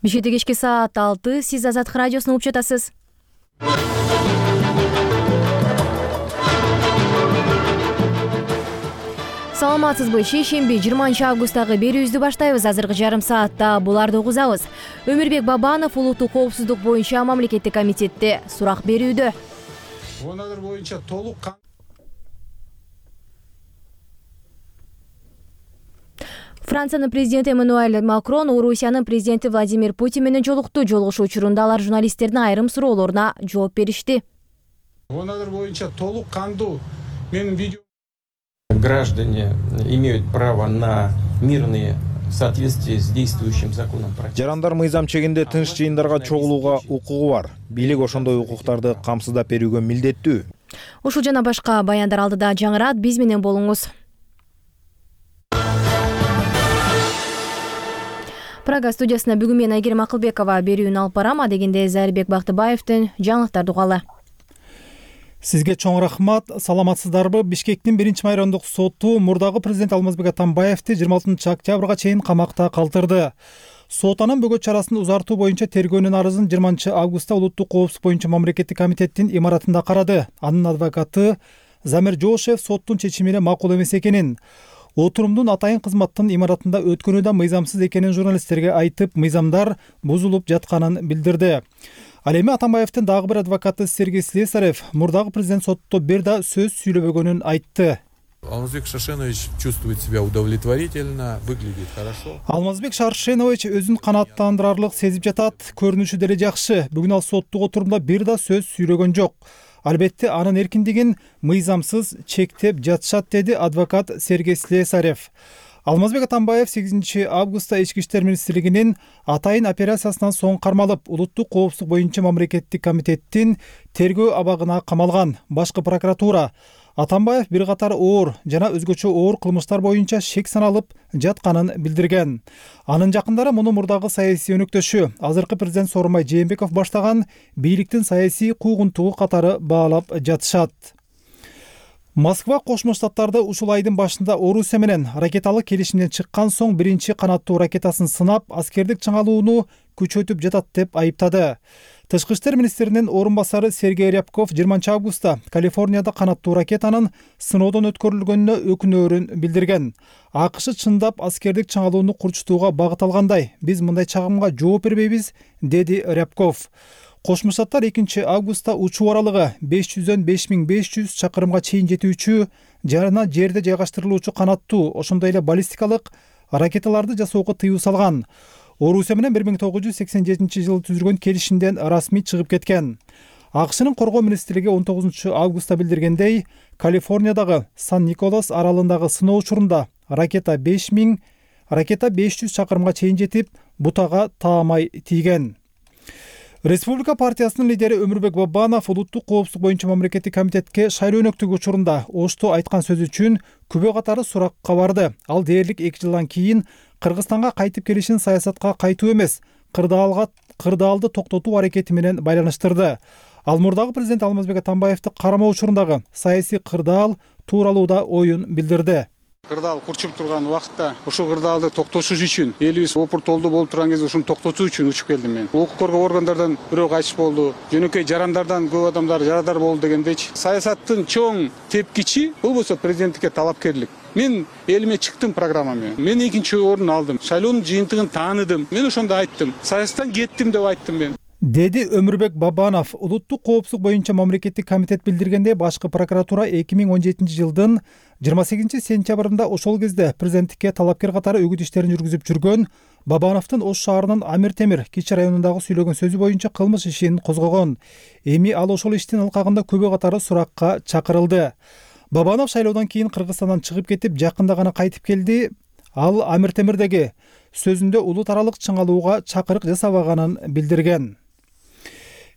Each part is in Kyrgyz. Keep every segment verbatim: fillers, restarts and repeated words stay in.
Бишкекте кечки саат алты, сиз Азаттык радиосун угуп жатасыз. Саламатсызбы? Шейшемби жыйырманчы августтагы берүүбүздү баштайбыз. Азыркы жарым саатта буларды угузабыз. Өмүрбек Бабанов улуттук коопсуздук боюнча мамлекеттик комитетте сурак берүүдө. Онадыр боюнча толук Франциянын президенти Эммануэль Макрон Орусиянын президенти Владимир Путин менен жолукту. Жолугушуу учурунда алар журналисттердин айрым суроолоруна жооп беришти. Онадыр боюнча толук кандуу менин видео Граждане имеют право на мирные в соответствии с действующим законом. Жарандар мыйзам чегинде тынч жыйындарга чогулууга укугу бар. Бийлик ошондой укуктарды камсыздап берүүгө милдеттүү. Ушул жана башка баяндар алдыда жаңырат, биз менен болуңуз. Прага студиясына бүгүн мен Айгерим Акылбекова берүүнү алып барам. Адегенде Зарибек Бактыбаевдин жаңылыктарды угалы. Сизге чоң рахмат. Саламатсыздарбы? Бишкектин биринчи майрамдык соту мурдагы президент Алмазбек Атамбаевди жыйырма алтынчы октябрга чейин камакта калтырды. Сот анын бөгөт чарасын узартуу боюнча тергөөнүн арызын жыйырманчы августта улуттук коопсуздук боюнча мамлекеттик комитеттин имаратында карады. Анын адвокаты Замир Жошев соттун чечимине макул эмес экенин, отурумдун атайын кызматтын имаратында өткөнү да мыйзамсыз экенин журналисттерге айтып, мыйзамдар бузулуп жатканын билдирди. Ал эми Атамбаевдин дагы бир адвокаты Сергей Слесарев мурдагы президент сотто бир да сөз сүйлөбөгөнүн айтты. Алмазбек Шаршенович чувствует себя удовлетворительно, выглядит хорошо. Алмазбек Шаршенович өзүн канааттандырарлык сезип жатат, көрүнүшү деле жакшы. Бүгүн ал соттук отурумда бир да сөз сүйлөгөн жок. Албетте анын эркиндигин мыйзамсыз чектеп жатышат, деди адвокат Сергей Слесарев. Алмазбек Атамбаев сегизинчи августта Ички иштер министрлигинин атайын операциясынан соң кармалып, улуттук коопсуздук боюнча мамлекеттик комитеттин тергөө абагына камалган. Башкы прокуратура Атамбаев бир катар оор жана өзгөчө оор кылмыштар боюнча шек саналып жатканын билдирген. Анын жакындары муну мурдагы саясий өнөктөшү, азыркы президент Сооронбай Жээнбеков баштаган бийликтин саясий куугунтугу катары баалап жатышат. Москва Кошмо Штаттарды ушул айдын башында Орусия менен ракеталык келишимден чыккан соң биринчи канаттуу ракетасын сынап, аскердик чыңалууну күчөтүп жатат деп айыптады. Тышкы иштер министринин орун басары Сергей Рябков жыйырманчы августта Калифорнияда канаттуу ракетанын сыноодон өткөрүлгөнүнө өкүнөөрүн билдирген. АКШ чындап аскердик чыңалууну курчутууга багыт алгандай. Биз мындай чагымга жооп бербейбиз, деди Рябков. Кошмо Штаттар экинчи августта учуу аралыгы беш жүздөн беш миң беш жүз чакырымга чейин жетүүчү жана жерде жайгаштырылуучу канаттуу, ошондой эле баллистикалык ракеталарды жасоого тыюу салган. Орусия менен бир миң тогуз жүз сексен жетинчи жылы түзүлгөн келишимден расмий чыгып кеткен. АКШнын коргоо министрлиги он тогузунчу августта билдиргендей, Калифорниядагы Сан-Николас аралындагы сыноо учурунда ракета беш миң ракета беш жүз чакырымга чейин жетип, бутага таамай тийген. Республика партиясынын лидери Өмүрбек Бабанов улуттук коопсуздук боюнча мамлекеттик комитетке шайлоо өнөктүгү учурунда Ошто айткан сөзү үчүн күбө катары суракка барды. Ал дээрлик эки жылдан кийин Кыргызстанга кайтып келишин саясатка кайтуу эмес, кырдаалга кырдаалды токтотуу аракети менен байланыштырды. Ал мурдагы президент Алмазбек Атамбаевди кармоо учурундагы саясий кырдаал тууралуу да оюн билдирди. кырдаал курчуп турган убакытта ушул кырдаалды токтотуш үчүн, элибиз опуртолду болуп турган кезде ушуну токтотуу үчүн учуп келдим мен. Укук коргоо органдардан бирөө кайтыш болду, жөнөкөй жарандардан көп адамдар жарадар болду дегендейчи. Саясаттын чоң тепкичи болбосо президенттикке талапкерлик. Мен элиме чыктым программа менен. Мен экинчи орун алдым. Шайлоонун жыйынтыгын тааныдым. Мен ошондо айттым. Саясаттан кеттим деп айттым мен. Деди Өмүрбек Бабанов. Улуттук коопсуздук боюнча мамлекеттик комитет билдиргенде, башкы прокуратура эки миң он жетинчи жылдын жыйырма сегизинчи сентябрында ошол кезде президенттикке талапкер катары үгүт иштерин жүргүзүп жүргөн Бабановдун Ош шаарынын Амир Темир кичи районундагы сүйлөгөн сөзү боюнча кылмыш ишин козгогон. Эми ал ошол иштин алкагында күбө катары суракка чакырылды. Бабанов шайлоодон кийин Кыргызстандан чыгып кетип, жакында гана кайтып келди. Ал Амир Темирдеги сөзүндө улут аралык чыңалууга чакырык жасабаганын билдирген.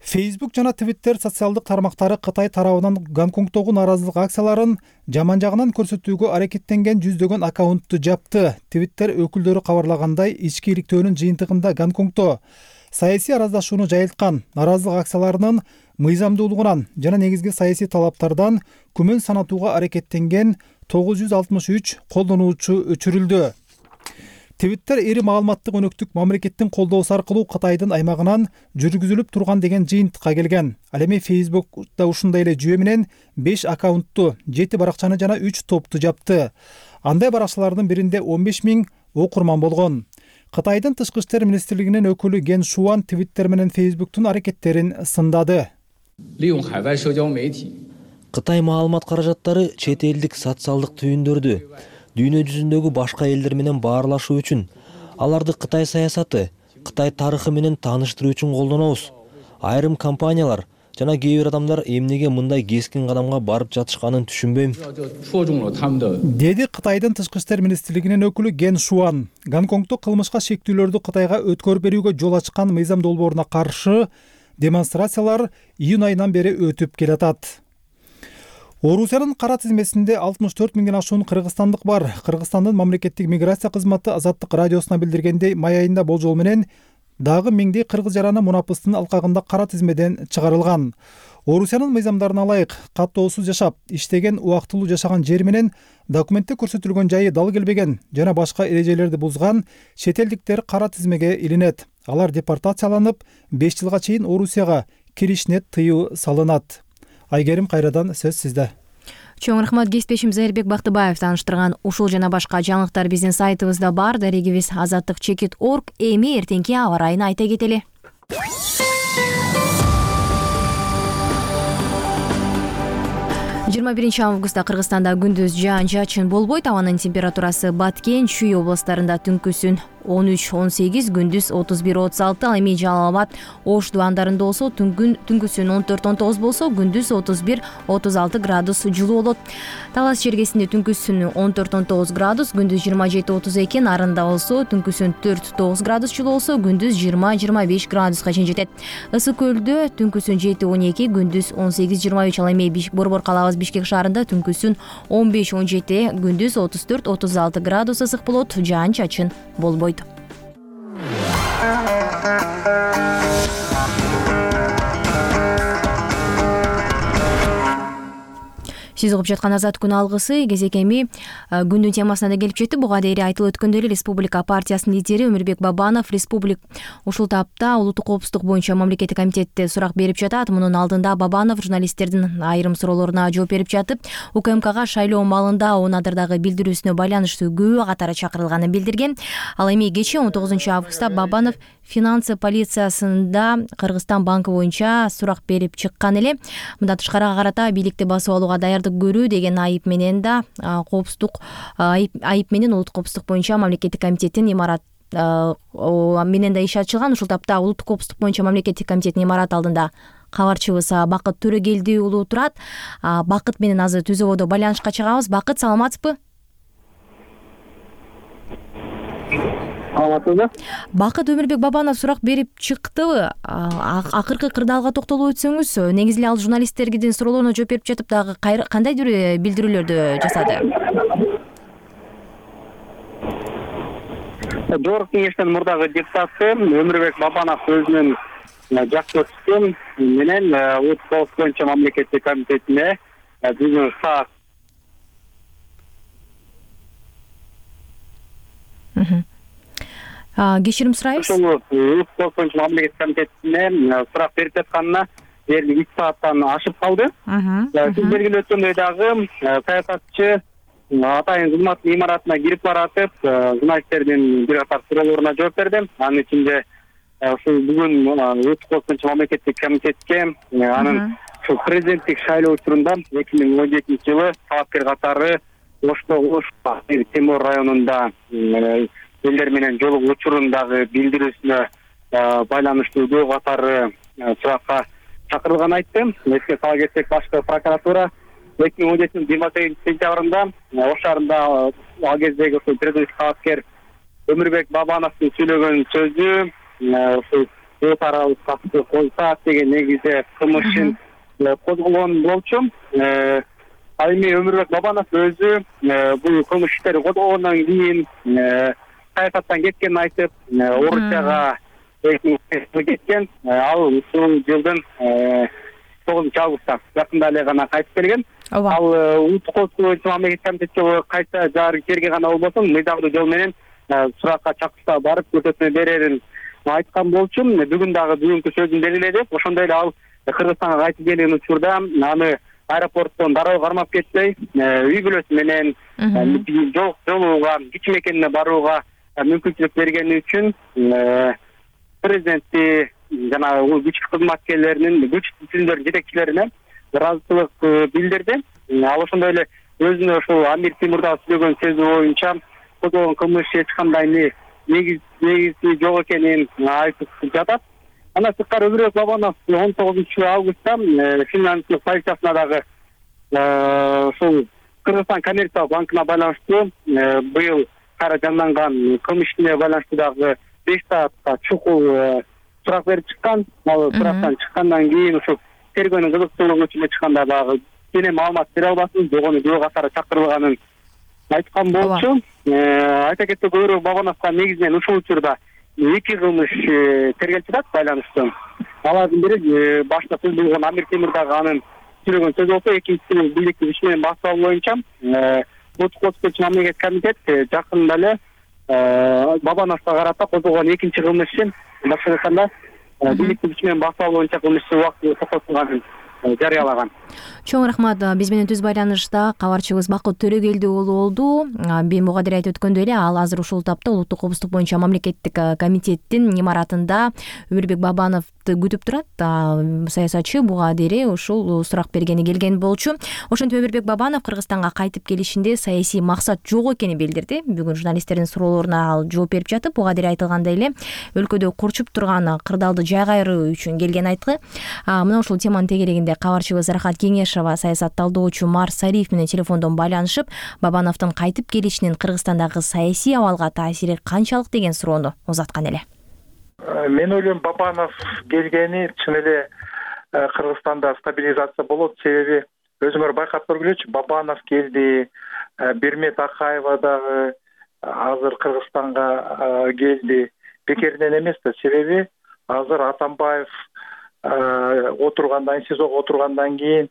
Facebook жана Twitter социалдык тармактары Кытай тарабынан Гонконгдогу нааразылык акцияларын жаман жагынан көрсөтүүгө аракеттенген жүздөгөн аккаунтту жапты. Twitter өкүлдөрү кабарлагандай, ички иликтөөнүн жыйынтыгында Гонконгдо саясий араздашууну жайылткан нааразылык акцияларынын мыйзамдуулугунан жана негизги саясий талаптардан күмөн санатууга аракеттенген тогуз жүз алтымыш үч колдонуучу өчүрүлдү. Твиттер ири маалыматтык өнөктүк мамлекеттин колдоосу аркылуу Кытайдын аймагынан жүргүзүлүп турган деген жыйынтыкка келген. Ал эми Facebook'та ушундай эле жүйө менен беш аккаунтту, жети баракчаны жана үч топту жапты. Андай баракчалардын биринде он беш миң окурман болгон. Кытайдын тышкы иштер министрлигинин өкүлү Ген Шуан Твиттер менен Facebook'тун аракеттерин сындады. Кытай маалымат каражаттары чет элдик социалдык түйүндөрдү дүйнө жүзүндөгү башка элдер менен баарлашуу үчүн, аларды Кытай саясаты, Кытай тарыхы менен тааныштыруу үчүн колдонобуз. Айрым компаниялар жана кээ бир адамдар эмнеге мындай кескин кадамга барып жатышканын түшүнбөйм. Деди Кытайдын тышкы иштер министрлигинин өкүлү Ген Шуан. Гонконгдо кылмышка шектүүлөрдү Кытайга өткөрүп берүүгө жол ачкан мыйзам долбооруна каршы демонстрациялар июнь айынан бери өтүп келатат. Орусиянын кара тизмесинде алтымыш төрт миңден ашуун кыргызстандык бар. Кыргызстандын мамлекеттик миграция кызматы Азаттык радиосуна билдиргендей, май айында болжол менен дагы миңдей кыргыз жараны мунапыстын алкагында кара тизмеден чыгарылган. Орусиянын мыйзамдарына ылайык каттоосуз жашап, иштеген, убактылуу жашаган жери менен документте көрсөтүлгөн жайы дал келбеген жана башка эрежелерди бузган чет элдиктер кара тизмеге илинет. Алар депортацияланып, беш жылга чейин Орусияга киришине тыюу салынат. Айгерим, кайрадан сөз сизде. Чоң рахмат. Кесиптешим Зайырбек Бактыбаев тааныштырган ушул жана башка жаңылыктар биздин сайтыбызда бар. Дарегибиз азаттык чекит точка орг. Эми эртеңки аба ырайын айта кетели. жыйырма биринчи августта Кыргызстанда күндүз жаан-чачын болбойт. Абанын температурасы Баткен, Чүй областарында түнкүсүн он үч он сегиз, күндүз отуз бир отуз алты, ал эми Жалал Абад, Ош дубандарында болсо түнкүсүн он төрт он тогуз болсо, күндүз отуз бир отуз алты градус жылуу болот. Талас чергесинде түнкүсүн он төрт он тогуз градус, күндүз жыйырма жети отуз эки, Нарында болсо түнкүсүн төрт тогуз градус жылуу болсо, күндүз жыйырма жыйырма беш градуска чейин жетет. Ысык көлдө түнкүсүн жети он эки, күндүз он сегиз жыйырма үч, ал эми Борбор калабыз Бишкек шаарында түнкүсүн он беш он жети, күндүз отуз төрт отуз алты градус ысык болот, жаан-чачын болбойт. Сиз угуп жаткан Азат күн алгысы кезек эми күндүн темасына да келип жетти. Буга дейин айтылып өткөндөй эле Республика партиясынын лидери Өмүрбек Бабанов республик ушул тапта улуттук коопсуздук боюнча мамлекеттик комитетте сурак берип жатат. Мунун алдында Бабанов журналисттердин айрым суроолоруна жооп берип жатып, УКМКга шайлоо маалында он адырдагы билдирүүсүнө байланыштуу күбө катары чакырылганын билдирген. Ал эми кечээ он тогузунчу августта Бабанов финансы полициясында Кыргызстан банкы боюнча сурак берип чыккан эле. Мындан тышкары карата бийликти басып алууга даярдык көрүү деген айып менен да коопсуздук айып, айып менен улуттук коопсуздук боюнча мамлекеттик комитеттин имарат менен да иш ачылган. Ушул тапта улуттук коопсуздук боюнча мамлекеттик комитеттин имараты алдында кабарчыбыз Бакыт Төрөгелди уулу турат. Бакыт менен азыр түзөбодо байланышка чыгабыз. Бакыт, саламатсызбы? Бакыт, Өмүрбек Бабанов сурак берип чыктыбы? Акыркы кырдаалга токтолуп өтсөңүз, негизи эле ал журналисттердин суроолоруна жооп берип жатып дагы кандайдыр билдирүүлөрдү жасады? Жогорку кеңештин мурдагы депутаты Өмүрбек Бабанов өзүнүн жакшы өтүшүн менен улуттук коопсуздук боюнча мамлекеттик комитетине бүгүн саат кечирим сурайбыз. Ошол улуттук коопсуздук боюнча мамлекеттик комитетине сурак берип жатканына дээрлик үч сааттан ашып калды. Сиз белгилеп өткөндөй дагы саясатчы атайын кызматтын имаратына кирип баратып, журналисттердин бир катар суроолоруна жооп берди. Анын ичинде ушул бүгүн улуттук коопсуздук боюнча мамлекеттик комитетке анын президенттик шайлоо учурунда эки миң он жетинчи жылы талапкер катары Ошто Ош Темир районунда элдер менен жолугуу учурундагы билдирүүсүнө байланыштуу күбө катары суракка чакырылганын айтты. Эске сала кетсек, башкы прокуратура эки миң он жетинчи жыйырма сегизинчи сентябрында Ош шаарында ал кездеги ушул президенттик талапкер Өмүрбек Бабановдун сүйлөгөн сөзү ушул өт аралык катты койсак деген негизде кылмыш ишин козголгон болчу. Ал эми Өмүрбек Бабанов өзү бул кылмыш иштери козголгондон кийин саясаттан кеткенин айтып, Орусияга кеткен. Ал ушул жылдын тогузунчу августта жакында эле гана кайтып келген. Ал улуттук коопсуздук боюнча мамлекеттик комитетке кайта жаары жерге гана болбосун, мыйзамдуу жол менен суракка чакырса барып көрсөтмө берерин айткан болчу. Бүгүн дагы бүгүнкү сөзүн делиледи. Ошондой эле ал Кыргызстанга кайтып келген учурда аны аэропорттон дароо кармап кетпей, үй бүлөсү менен жолууга, кичи мекенине барууга мүмкүнчүлүк бергени үчүн президентти жана күч кызматкерлеринин, күч түзүмдөрүнүн жетекчилерине ыраазычылык билдирди. Ал ошондой эле өзүнө ушул Амир Темурдагы сүйлөгөн сөзү боюнча козголгон кылмыш эч кандай негизи жок экенин айтып жатат. Андан сырткары Өмүрбек Бабанов он тогузунчу августта финляндиялык полициясына дагы ушул Кыргызстан коммерциялык банкына байланыштуу быйыл кайра жанданган кылмыш ишине байланыштуу дагы беш саатка чукул сурак берип чыккан. Ал сурактан чыккандан кийин ушул тергөөнүн кызыкчылыгы үчүн чыкканда дагы кене маалымат бере албасын, жогону күбө катары чакырылганын айткан болчу. Айта кетсек, Өмүрбек Бабановго негизинен ушул учурда эки кылмыш тергелип жатат байланыштуу. Алардын бири башта сөз болгон Амир Темурдагы анын сүйлөгөн сөзү болсо, экинчиси бийликтик иш менен башталуу боюнча Улуттук коопсуздук үчүн мамлекеттик комитет жакында эле Бабановго карата козголгон экинчи кылмыш ишин башкача айтканда бийликтик иш менен башталуу боюнча кылмыш убактылуу токтотулганын жарыялаган. Чоң рахмат. Биз менен түз байланышта кабарчыбыз Бакыт Төрөгелди уулу болду. Буга дейин айтып өткөндөй эле, ал азыр ушул тапта Улуттук коопсуздук боюнча мамлекеттик комитеттин имаратында Өмүрбек Бабановду күтүп турат. Саясатчы буга дейин ушул сурак бергени келген болчу. Ошентип Өмүрбек Бабанов Кыргызстанга кайтып келишинде саясий максат жок экенин билдирди. Бүгүн журналисттердин суроолоруна ал жооп берип жатып, буга дейин айтылгандай эле өлкөдө курчуп турган кырдаалды жай кайруу үчүн келген айткы. Мына ушул теманын тегерегинде кабарчыбыз Рахат Кеңешова саясат талдоочу Марс Сариев менен телефондон байланышып, Бабановдун кайтып келишинин Кыргызстандагы саясий абалга таасири канчалык деген суроону узаткан эле. Мен ойлойм, Бабанов келгени чын эле Кыргызстанда стабилизация болот. Себеби өзүңөр байкап көргүлөчү, Бабанов келди, Бермет Акаева дагы азыр Кыргызстанга келди. Бекеринен эмес да. Себеби азыр Атамбаев отургандан, СИЗОго отургандан кийин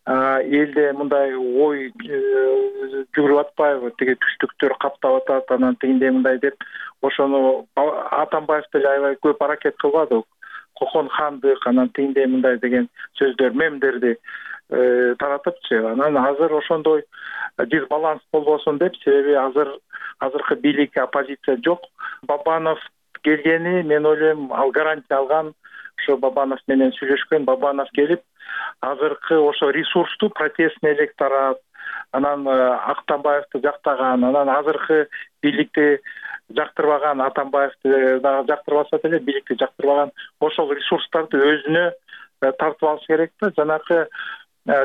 элде мындай ой жүгүрүп атпайбы, тиги түштүктөр каптап атат, анан тигиндей мындай деп, ошону Атамбаев деле аябай көп аракет кылбады. Кокон хандык, анан тигиндей мындай деген сөздөр, мемдерди таратыпчы. Анан азыр ошондой дисбаланс болбосун деп, себеби азыр азыркы бийлик, оппозиция жок. Бабанов келгени, мен ойлойм, ал гарантия алган. Ошо Бабанов менен сүйлөшкөн. Бабанов келип, азыркы ошо ресурстуу протестный электорат, анан Атамбаевди жактаган, анан азыркы бийликти жактырбаган, Атамбаевди дагы жактырбаса деле, бийликти жактырбаган ошол ресурстарды өзүнө тартып алыш керек да. Жанакы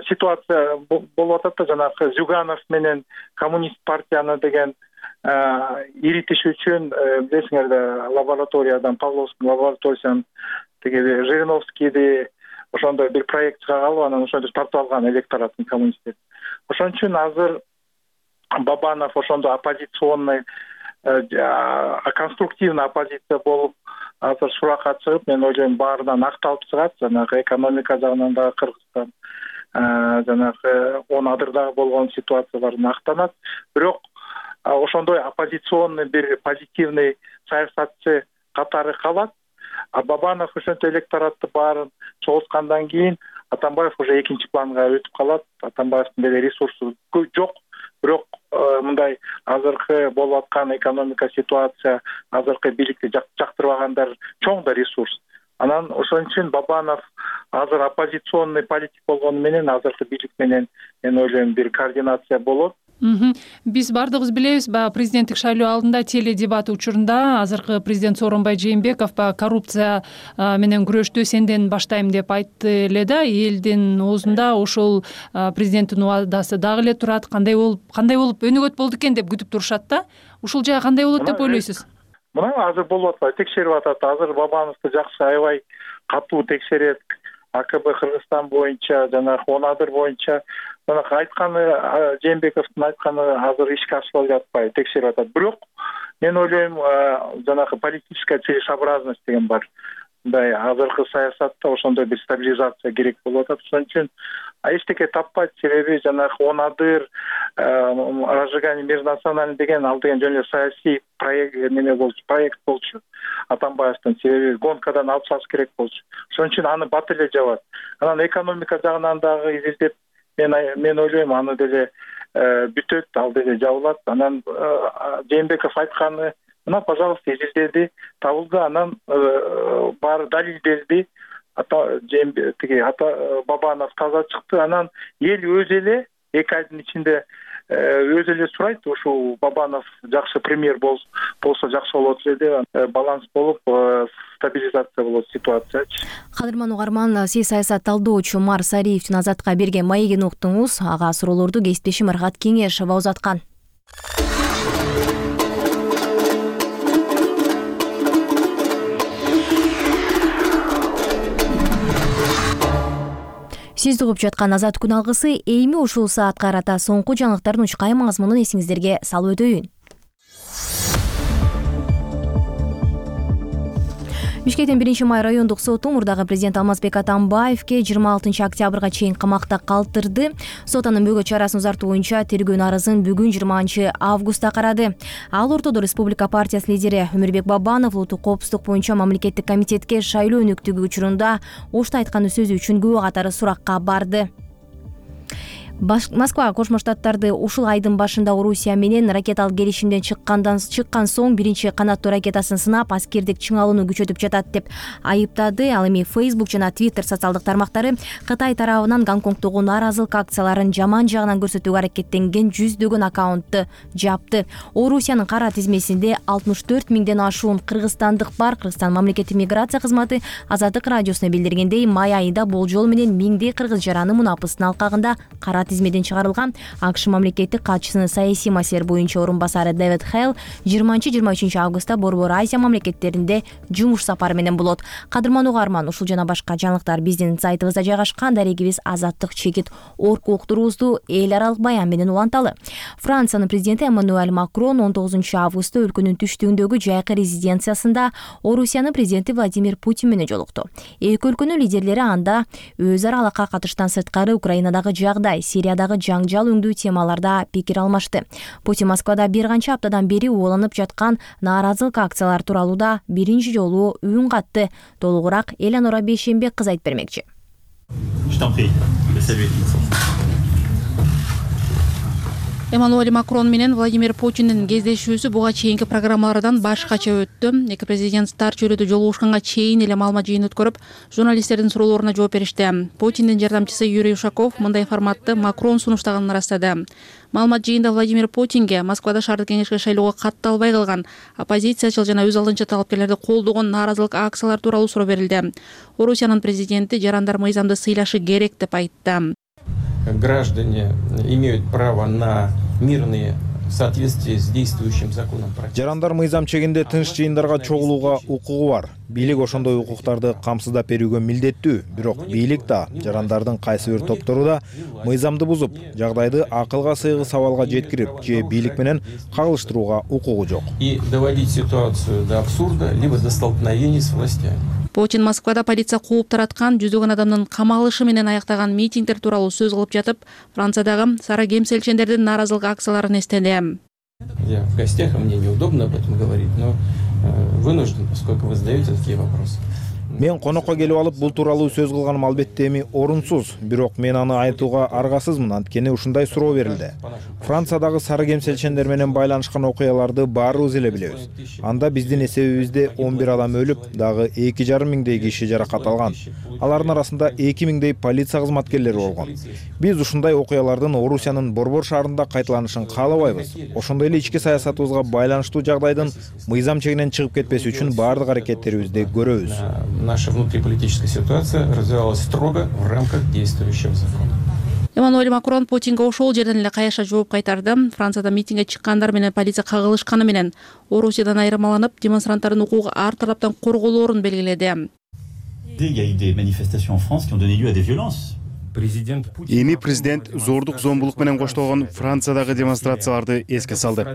ситуация болуп атат да, жанакы Зюганов менен коммунист партияны деген иритиш үчүн, билесиңер да, лабораториядан, Павловский лабораториядан тиги Жириновскийди ошондой бир проект чыга калып, анан ошондо тартып алган электоратын коммунисттер. Ошон үчүн азыр Бабанов ошондо оппозиционный, конструктивный оппозиция болуп азыр суракка чыгып, мен ойлойм, баарынан акталып чыгат. Жанагы экономика жагынан дагы Кыргызстан жанагы он адырдагы болгон ситуациялардан актанат. Бирок ошондой оппозиционный бир позитивный саясатчы катары калат. А Бабанов ошентип электоратты баарын чогулткандан кийин Атамбаев уже экинчи планга өтүп калат. Атамбаевдин деле ресурсу жок. Бирок мындай азыркы болуп аткан экономика ситуация, азыркы бийликти жактырбагандар чоң да ресурс. Анан ошон үчүн Бабанов азыр оппозиционный политик болгону менен азыркы бийлик менен мен ойлойм бир координация болот. Биз бардыгыбыз билебиз, баягы президенттик шайлоо алдында теледебат учурунда азыркы президент Сооронбай Жээнбеков баягы коррупция менен күрөштү сенден баштайм деп айтты эле да. Элдин оозунда ошол президенттин убадасы дагы эле турат. Кандай болуп, кандай болуп өнөгөт болду экен деп күтүп турушат да. Ушул жай кандай болот деп ойлойсуз? Мына азыр болуп атпайбы, текшерип атат. Азыр Бабановду жакшы, аябай катуу текшерет. АКБ Кыргызстан боюнча, жанагы он адыр боюнча, жанагы айтканы, Жээнбековдун айтканы азыр ишке ашырылып жатпайбы, текшерип атат. Бирок мен ойлойм, жанагы политическая целесообразность деген бар. мындай азыркы саясатта ошондой бир стабилизация керек болуп атат. Ошон үчүн эчтеке таппайт. Себеби жанагы он адыр разжигание мира национальный деген ал деген жөн эле саясий проект неме болчу, проект болчу Атамбаевдин. Себеби гонкадан алып чыгыш керек болчу. Ошон үчүн аны бат эле жабат. Анан экономика жагынан дагы изилдеп мен мен ойлойм аны деле бүтөт, ал деле жабылат. Анан Жээнбеков айтканы мына, пожалуйста, изилдеди, табылды, анан баары далилделди. Ата тиги ата Бабанов таза чыкты. Анан эл өз эле эки айдын ичинде өз эле сурайт, ушул Бабанов жакшы премьер болсо жакшы болот эле деп, баланс болуп, стабилизация болот ситуациячы. Кадырман угарман, сиз саясат талдоочу Умар Сариевдин Азатка берген маегин уктуңуз. Ага суроолорду кесиптешим Аргат Кеңешова узаткан. Сиз угуп жаткан Азат күн алгысы эми ушул саатка карата соңку жаңылыктардын учкай мазмунун эсиңиздерге салып өтөйүн. Бишкектин биринчи май райондук соту мурдагы президент Алмазбек Атамбаевке жыйырма алтынчы октябрга чейин камакта калтырды. Сот анын бөгөт чарасын узартуу боюнча тергөө арызын бүгүн жыйырманчы августта карады. Ал ортодо Республика партиясынын лидери Өмүрбек Бабанов улуттук коопсуздук боюнча мамлекеттик комитетке шайлоо өнүктүгү учурунда ошто айткан сөзү үчүн күбө катары суракка барды. Москва Кошмо Штаттарды ушул айдын башында Орусия менен ракеталык келишимден чыккандан чыккан соң биринчи канаттуу ракетасын сынап, аскердик чыңалууну күчөтүп жатат деп айыптады. Ал эми Facebook жана Twitter социалдык тармактары Кытай тарабынан Гонконгдогу нааразылык акцияларын жаман жагынан көрсөтүүгө аракеттенген жүздөгөн аккаунтту жапты. Орусиянын кара тизмесинде алтымыш төрт миңден ашуун кыргызстандык бар. Кыргызстан мамлекеттик миграция кызматы Азаттык радиосуна билдиргендей, май айында болжол менен миңдей кыргыз жараны мунапыстын алкагында кара тизмеден чыгарылган. АКШ мамлекеттик катчысынын саясий маселелер боюнча орун басары Дэвид Хейл жыйырманчы жыйырма үчүнчү августта Борбор Азия мамлекеттеринде жумуш сапары менен болот. Кадырман угарман, ушул жана башка жаңылыктар биздин сайтыбызда жайгашкан. Дарегибиз Азаттык чекит орку уктуруубузду эл аралык баян менен уланталы. Франциянын президенти Эммануэль Макрон он тогузунчу августта өлкөнүн түштүгүндөгү жайкы резиденциясында Орусиянын президенти Владимир Путин менен жолукту. Эки өлкөнүн лидерлери анда өз ара алакка катыштан сырткары Украинадагы жагдай, Сириядагы жаңжал өңдүү темаларда пикир алмашты. Путин Москвада бир канча аптадан бери уланып жаткан нааразылык акциялар тууралуу да биринчи жолу үн катты. Толугураак Элеонора Бейшембек кыз айтып бермекчи. Эммануэль Макрон менен Владимир Путиндин кездешүүсү буга чейинки программалардан башкача өттү. Эки президент тар чөйрөдө жолугушканга чейин эле маалымат жыйын өткөрүп, журналисттердин суроолоруна жооп беришти. Путиндин жардамчысы Юрий Ушаков мындай форматты Макрон сунуштаганын ырастады. Маалымат жыйында Владимир Путинге Москвада шаардык кеңешке шайлоого катталбай калган оппозициячыл жана өз алдынча талапкерлерди колдогон нааразылык акциялар тууралуу суроо берилди. Орусиянын президенти жарандар мыйзамды сыйлашы керек деп айтты. Граждане имеют право на мирные в соответствии с действующим законом. Жарандар мыйзам чегинде тынч жыйындарга чогулууга укугу бар. Бийлик ошондой укуктарды камсыздап берүүгө милдеттүү. Бирок бийлик да, жарандардын кайсы бир топтору да мыйзамды бузуп, жагдайды акылга сыйгыс абалга жеткирип, же бийлик менен кагылыштырууга укугу жок. И доводить ситуацию до абсурда, либо до столкновений с властями. Путин Москвада полиция кууп тараткан жүздөгөн адамдын камалышы менен аяктаган митингдер тууралуу сөз кылып жатып, Франциядагы сара кемселчендердин нааразылык акцияларын эстеди. Я в гостях, и мне неудобно об этом говорить, но вынужден, поскольку вы задаете такие вопросы. Мен конокко келип алып бул тууралуу сөз кылганым албетте эми орунсуз, бирок мен аны айтууга аргасызмын, анткени ушундай суроо берилди. Франциядагы сары кемселчендер менен байланышкан окуяларды баарыбыз эле билебиз. Анда биздин эсебибизде он бир адам өлүп, дагы эки жарым миңдей киши жаракат алган. Алардын арасында эки миңдей полиция кызматкерлери болгон. Биз ушундай окуялардын Орусиянын Борбор шаарында кайталанышын каалабайбыз. Ошондой эле ички саясатыбызга байланыштуу жагдайдын мыйзам чегинен чыгып кетпеси үчүн баардык аракеттерибизди көрөбүз. Наша внутриполитическая ситуация развивалась строго в рамках действующего закона. Эммануэль Макрон Путинге ошол жерден эле каяша жооп кайтарды. Францияда митингге чыккандар менен полиция кагылышканы менен Орусиядан айырмаланып, демонстранттардын укугу ар тараптан корголоорун белгиледи. Il y a eu des manifestations en France qui ont donné lieu à des violences. Эми президент зордук зомбулук менен коштолгон Франциядагы демонстрацияларды эске салды.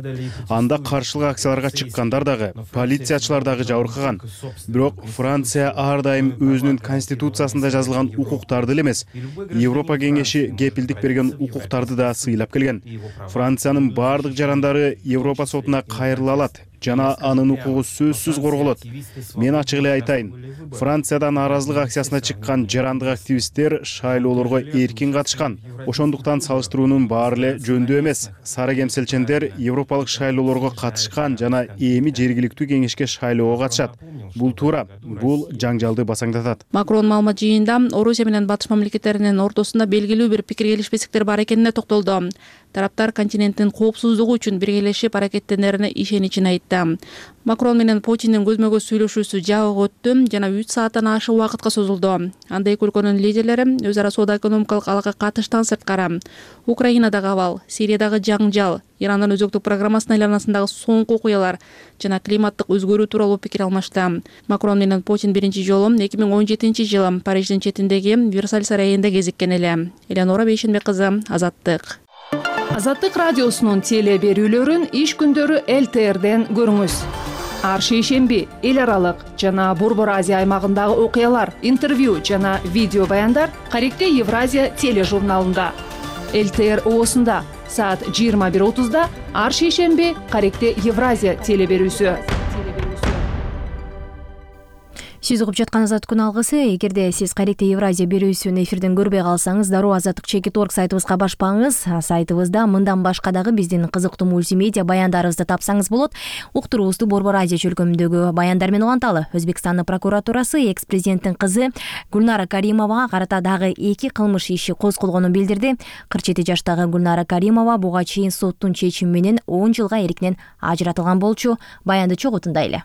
Анда каршылык акцияларга чыккандар дагы, полициячылар дагы жабыркаган. Бирок Франция ар дайым өзүнүн конституциясында жазылган укуктарды эле эмес, Европа кеңеши кепилдик берген укуктарды да сыйлап келген. Франциянын бардык жарандары Европа сотуна кайрыла алат жана анын укугу сөзсүз корголот. Мен ачык эле айтайын, Францияда нааразылык акциясына чыккан жарандык активисттер шайлоолорго эркин катышкан. Ошондуктан салыштыруунун баары эле жөндүү эмес. Сары кемселчендер европалык шайлоолорго катышкан жана эми жергиликтүү кеңешке шайлоого катышат. Бул туура, бул жаңжалды басаңдатат. Макрон маалымат жыйынында Орусия менен батыш мамлекеттеринин ортосунда белгилүү бир пикир келишпестиктер бар экенине токтолду. Тараптар континенттин коопсуздугу үчүн биргелешип аракеттенерине ишеничин айтты. Макрон менен Путиндин көзмө-көз сүйлөшүүсү жабык өттү жана үч сааттан ашык убакытка созулду. Анда эки өлкөнүн лидерлери өз ара соода экономикалык алакка катыштан сырткары Украинадагы абал, Сириядагы жаңжал, Ирандын өзөктүк программасынын айланасындагы соңку окуялар жана климаттык өзгөрүү тууралуу пикир алмашты. Макрон менен Путин биринчи жолу эки миң он жетинчи жылы Париждин четиндеги Версаль сарайында кезиккен эле. Элеонора Бейшенбек кызы, Азаттык. Азаттык радиосунун теле берүүлөрүн иш күндөрү эл тэ эрден көрүңүз. Ар шейшемби эл аралык жана Борбор Азия аймагындагы окуялар, интервью жана видео баяндар Каректе Евразия тележурналында. эл тэ эр оосунда саат жыйырма бир отузда ар шейшемби Каректе Евразия теле берүүсү. Сиз угуп жаткан Азаттык күн алгысы. Эгерде сиз Каректе Евразия берүүсүн эфирден көрбөй калсаңыз, дароо азаттык чекит точка орг сайтыбызга башпаңыз. Сайтыбызда мындан башка дагы биздин кызыктуу мультимедиа баяндарыбызды тапсаңыз болот. Уктуруубузду Борбор Азия чөлкөмүндөгү баяндар менен уланталы. Өзбекстандын прокуратурасы экс-президенттин кызы Гүлнара Каримовага карата дагы эки кылмыш иши козголгонун билдирди. кырк жети жаштагы Гүлнара Каримова буга чейин соттун чечими менен он жылга эркинен ажыратылган болчу. Баянды чогуу тындайлы.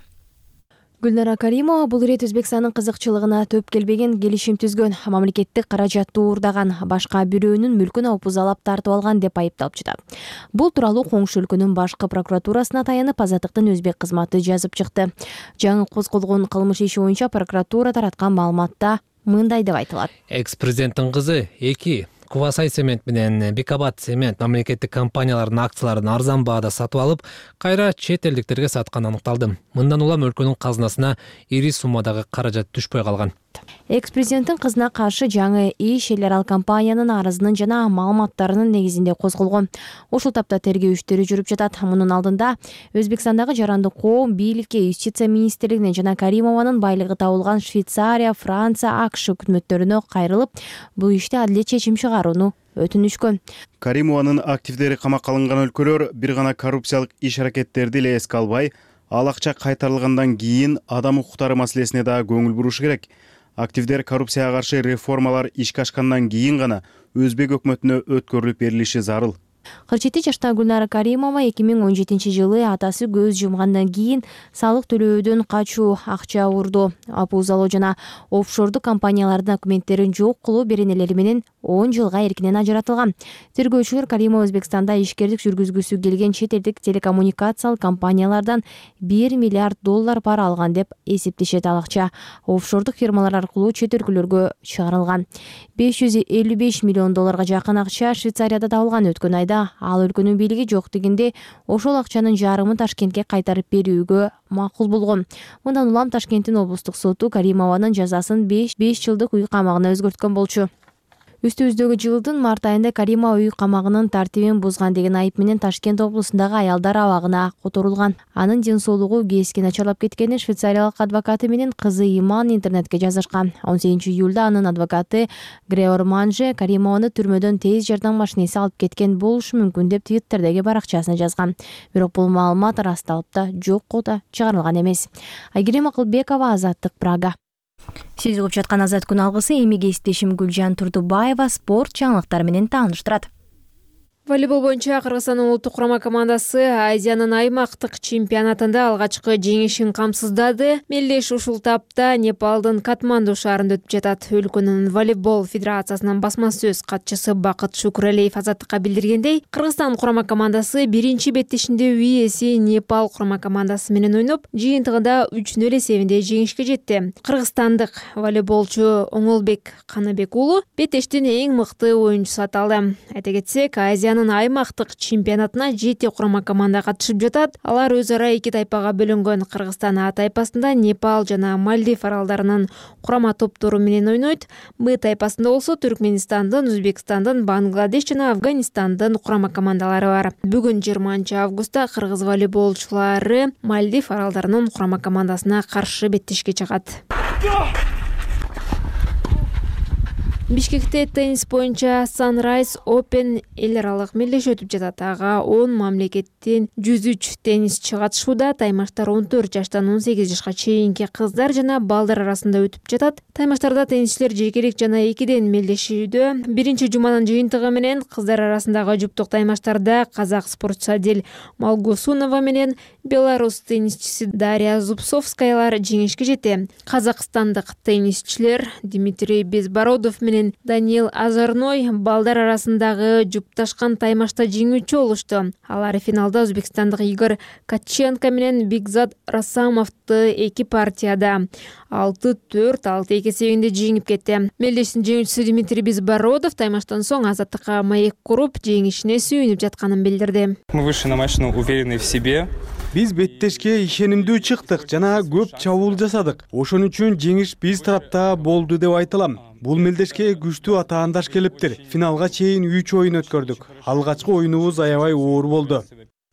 Гүлнара Каримова бул ирет Өзбекстандын кызыкчылыгына төп келбеген келишим түзгөн, мамлекеттик каражатты уурдаган, башка бирөөнүн мүлкүн опузалап тартып алган деп айыпталып жатат. Бул тууралуу коңшу өлкөнүн башкы прокуратурасына таянып Азаттыктын өзбек кызматы жазып чыкты. Жаңы козголгон кылмыш иши боюнча прокуратура тараткан маалыматта мындай деп айтылат. Экс-президенттин кызы эки Кубасай цемент менен Бикабат цемент мамлекеттик компаниялардын акцияларын арзан баада сатып алып, кайра чет элдиктерге сатканы аныкталды. Мындан улам өлкөнүн казынасына ири суммадагы каражат түшпөй калган. Экс-президенттин кызына каршы жаңы иш эл аралык компаниянын арызынын жана маалыматтарынын негизинде козголгон. Ошол тапта тергөө иштери жүрүп жатат. Мунун алдында Өзбекстандагы жарандык коом бийликке, юстиция министрлигине жана Каримованын байлыгы табылган Швейцария, Франция, АКШ өкмөттөрүнө кайрылып, бул иште адилет чечим чыгарууну өтүнүшкөн. Каримованын активдери камакка алынган өлкөлөр бир гана коррупциялык иш-аракеттерди эле эске албай, ал акча кайтарылгандан кийин адам укуктары маселесине да көңүл бурушу керек. Активдер коррупцияга каршы реформалар ишке ашкандан кийин гана Өзбек өкмөтүнө өткөрүлүп берилиши зарыл. кырк жети жаштагы Гүлнара Каримова эки миң он жетинчи жылы атасы көз жумгандан кийин салык төлөөдөн качуу, акча уурдоо, опузалоо жана офшордук компаниялардын документтерин жок кылуу беренелери менен он жылга эркинен ажыратылган. Тергөөчүлөр Каримова Өзбекстанда ишкердик жүргүзгүсү келген чет элдик телекоммуникациялык компаниялардан бир миллиард доллар пара алган деп эсептешет. Ал акча офшордук фирмалар аркылуу чет өлкөлөргө чыгарылган. беш жүз элүү беш миллион долларга жакын акча Швейцарияда табылган. Өткөн айда ал өлкөнүн бийлиги жок дегенде ошол акчанын жарымын Ташкентке кайтарып берүүгө макул болгон. Мындан улам Ташкенттин облустук соту Каримованын жазасын беш жылдык үй камагына өзгөрткөн болчу. Үстүбүздөгү жылдын март айында Каримова үй камагынын тартибин бузган деген айып менен Ташкент облусундагы аялдар абагына которулган. Анын ден соолугу кескен начарлап кеткени швейцариялык адвокаты менен кызы Иман интернетке жазышкан. он сегизинчи июлда анын адвокаты Греор Манже Каримованы түрмөдөн тез жардам машинеси алып кеткен болушу мүмкүн деп Твиттердеги баракчасына жазган. Бирок бул маалымат ырасталып да, жокко да чыгарылган эмес. Айгерим Акылбекова, Азаттык, Прага. Сиз угуп жаткан Азаттык күн алгысы. Эми кесиптешим Гүлжан Турдубаева спорт жаңылыктары менен тааныштырат. Волейбол боюнча Кыргызстандын улуттук курама командасы Азиянын аймактык чемпионатында алгачкы жеңишин камсыздады. Мелдеш ушул тапта Непалдын Катманду шаарында өтүп жатат. Өлкөнүн волейбол федерациясынын басма сөз катчысы Бакыт Шукуралиев Азаттыкка билдиргендей, Кыргызстан курама командасы биринчи беттешинде үйээси Непал курама командасы менен ойноп, жыйынтыгында үч нөл эсебинде жеңишке жетти. Кыргызстандык волейболчу Оңолбек Каныбек уулу беттештин эң мыкты оюнчусу аталды. Айта кетсек, Азиянын аймактык чемпионатына жети курама команда катышып жатат. Алар өз ара эки тайпага бөлүнгөн. Кыргызстан А тайпасында Непал жана Мальдив аралдарынын курама топтору менен ойнойт. Б тайпасында болсо Түркменистандын, Өзбекстандын, Бангладеш жана Афганистандын курама командалары бар. Бүгүн жыйырманчы августта кыргыз волейболчулары Мальдив аралдарынын курама командасына каршы беттешке чыгат. Бишкекте теннис боюнча Sunrise Open эл аралык мелдеш өтүп жатат. Ага он мамлекеттен жүз үч теннисчи катышууда. Таймаштар он төрт жаштан он сегиз жашка чейинки кыздар жана балдар арасында өтүп жатат. Таймаштарда теннисчилер жекелик жана экиден мелдешүүдө. Биринчи жуманын жыйынтыгы менен кыздар арасындагы жуптук таймаштарда казак спортчусу Адель Малгусунова менен белорус теннисчиси Дарья Зубцовскаялар жеңишке жетти. Казакстандык теннисчилер Дмитрий Безбородов менен Даниил Азарной балдар арасындагы жупташкан таймашта жеңүүчү болушту. Алар финалда өзбекстандык Игорь Катченко менен Бигзат Расамовду эки партияда алты төрт алты эки эсебинде жеңип кетти. Мелдештин жеңүүчүсү Дмитрий Безбородов таймаштан соң Азаттыкка маек куруп, жеңишине сүйүнүп жатканын билдирди. Мы вышли на матч, уверенные в себе. Биз беттешке ишенимдүү чыктык жана көп чабуул жасадык. Ошон үчүн жеңиш биз тарапта болду деп айтылам. Бул мелдешке күчтүү атаандаш келиптир. Финалга чейин үч оюн өткөрдүк. Алгачкы оюнубуз аябай оор болду.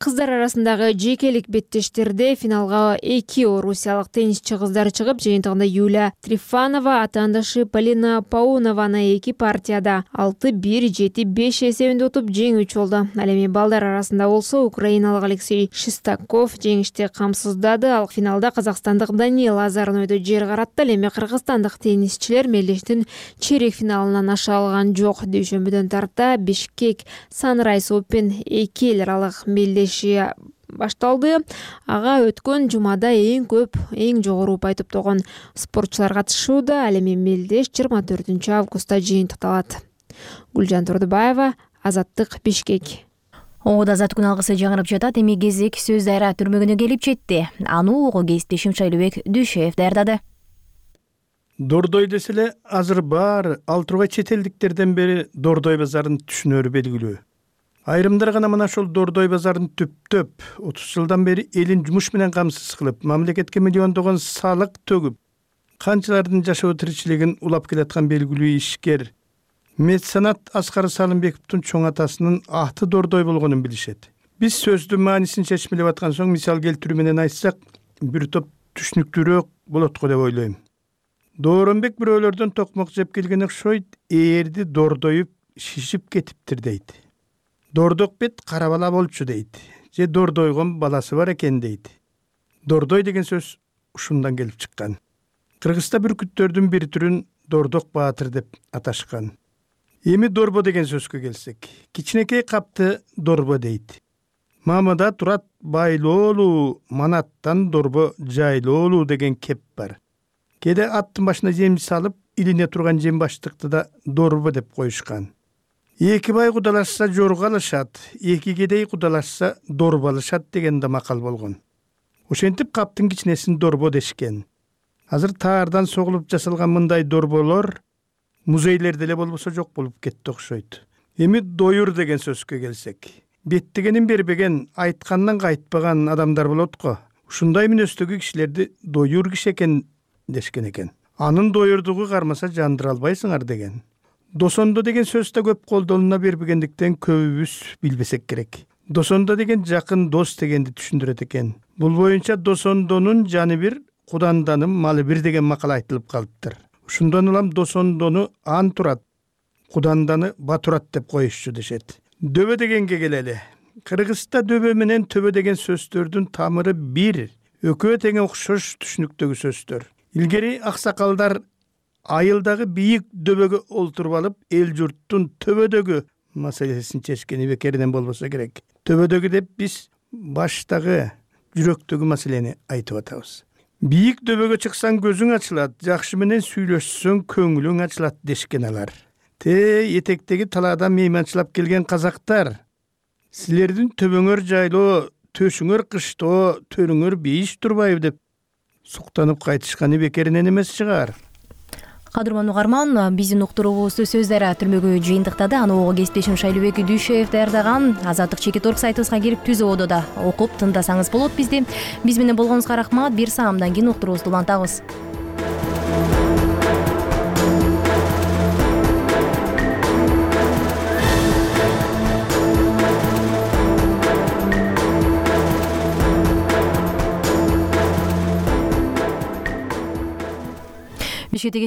Кыздар арасындагы жекелик беттештерде финалга эки орусиялык теннисчи кыздар чыгып, жыйынтыгында Юлия Трифанова атаандашы Полина Паунованы эки партияда алты бир жети беш эсебинде утуп жеңүүчү болду. Ал эми балдар арасында болсо украиналык Алексей Шестаков жеңишти камсыздады. Ал финалда казакстандык Даниил Азарнойду жер каратты. Ал эми кыргызстандык теннисчилер мелдештин чейрек финалынан аша алган жок. Дүйшөмбүдөн тарта Бишкек Sunrise Open эки эл аралык мелдеш башталды. Ага өткөн жумада эң көп, эң жогору упай топтогон спортчулар катышууда. Ал эми мелдеш жыйырма төртүнчү августта жыйынтыкталат. Гүлжан Турдубаева, Азаттык, Бишкек. Оңуда азат күн алгысы жаңырып жатат. Эми кезек сөз дайра түрмөгүнө келип жетти. Аны угуу кесиптешим Шайлыбек Дүйшөев даярдады. Дордой деселе азыр баары ал тургай чет элдиктерден бери Дордой базарын түшүнөрү белгилүү. Айрымдар гана мына ошол Дордой базарын түптөп, отуз жылдан бери элин жумуш менен камсыз кылып, мамлекетке миллиондогон салык төгүп, канчалардын жашоо тиричилигин улап келаткан белгилүү ишкер меценат Аскар Салымбековдун чоң атасынын аты Дордой болгонун билишет. Биз сөздүн маанисин чечмелеп аткан соң мисал келтирүү менен айтсак, бир топ түшүнүктүүрөөк болот го деп ойлойм. Дооронбек бирөөлөрдөн токмок жеп келген окшойт, ээрди дордоюп шишип кетиптир дейт. Дордок бет кара бала болчу дейт. Же дордойгон баласы бар экен дейт. Дордой деген сөз ушундан келип чыккан. Кыргызда бүркүттөрдүн бир түрүн Дордок баатыр деп аташкан. Эми дорбо деген сөзгө келсек, кичинекей капты дорбо дейт. Мамада турат байлоолуу, манаттан дорбо жайлоолуу деген кеп бар. Кеде аттын башына жем салып, илине турган жем баштыкты да дорбо деп коюшкан. Эки бай кудалашса жорго алышат, эки кедей кудалашса дорбо алышат деген да макал болгон. Ошентип каптын кичинесин дорбо дешкен. Азыр таардан согулуп жасалган мындай дорболор музейлерде эле болбосо жок болуп кетти окшойт. Эми доюр деген сөзгө келсек, беттегенин бербеген, айткандан кайтпаган адамдар болот го. Ушундай мүнөздөгү кишилерди доюр киши экен дешкен экен. Анын доюрдугу кармаса жандыра албайсыңар деген. Досондо деген сөз да көп колдолуна бербегендиктен көбүбүз билбесек керек. Досондо деген жакын дос дегенди түшүндүрөт экен. Бул боюнча досондонун жаны бир, куданданын малы бир деген макал айтылып калыптыр. Ушундан улам досондону ан турат, куданданы батурат деп коюшчу дешет. Дөбө дегенге келели. Кыргызда дөбө менен төбө деген сөздөрдүн тамыры бир, экөө тең окшош түшүнүктөгү сөздөр. Илгери аксакалдар айылдагы бийик дөбөгө олтуруп алып, эл журттун төбөдөгү маселесин чечкени бекеринен болбосо керек. Төбөдөгү деп биз баштагы жүрөктөгү маселени айтып атабыз. Бийик дөбөгө чыксаң көзүң ачылат, жакшы менен сүйлөшсөң көңүлүң ачылат дешкен алар. Те этектеги талаадан мейманчылап келген казактар, силердин төбөңөр жайлоо, төшүңөр кыштоо, төрүңөр бейиш турбайбы деп суктанып кайтышканы бекеринен эмес чыгар. Кадырман угарман, биздин уктуруубузду Сөз Дарыа түрмөгү жыйынтыктады. Аны ого кесиптешим Шайлообек Дүйшеев даярдаган. Азаттык чекит орг сайтыбызга кирип түз ободо да окуп тыңдасаңыз болот бизди. Биз менен болгонуңузга рахмат. Бир саамдан кийин уктуруубузду улантабыз. Бишкектеги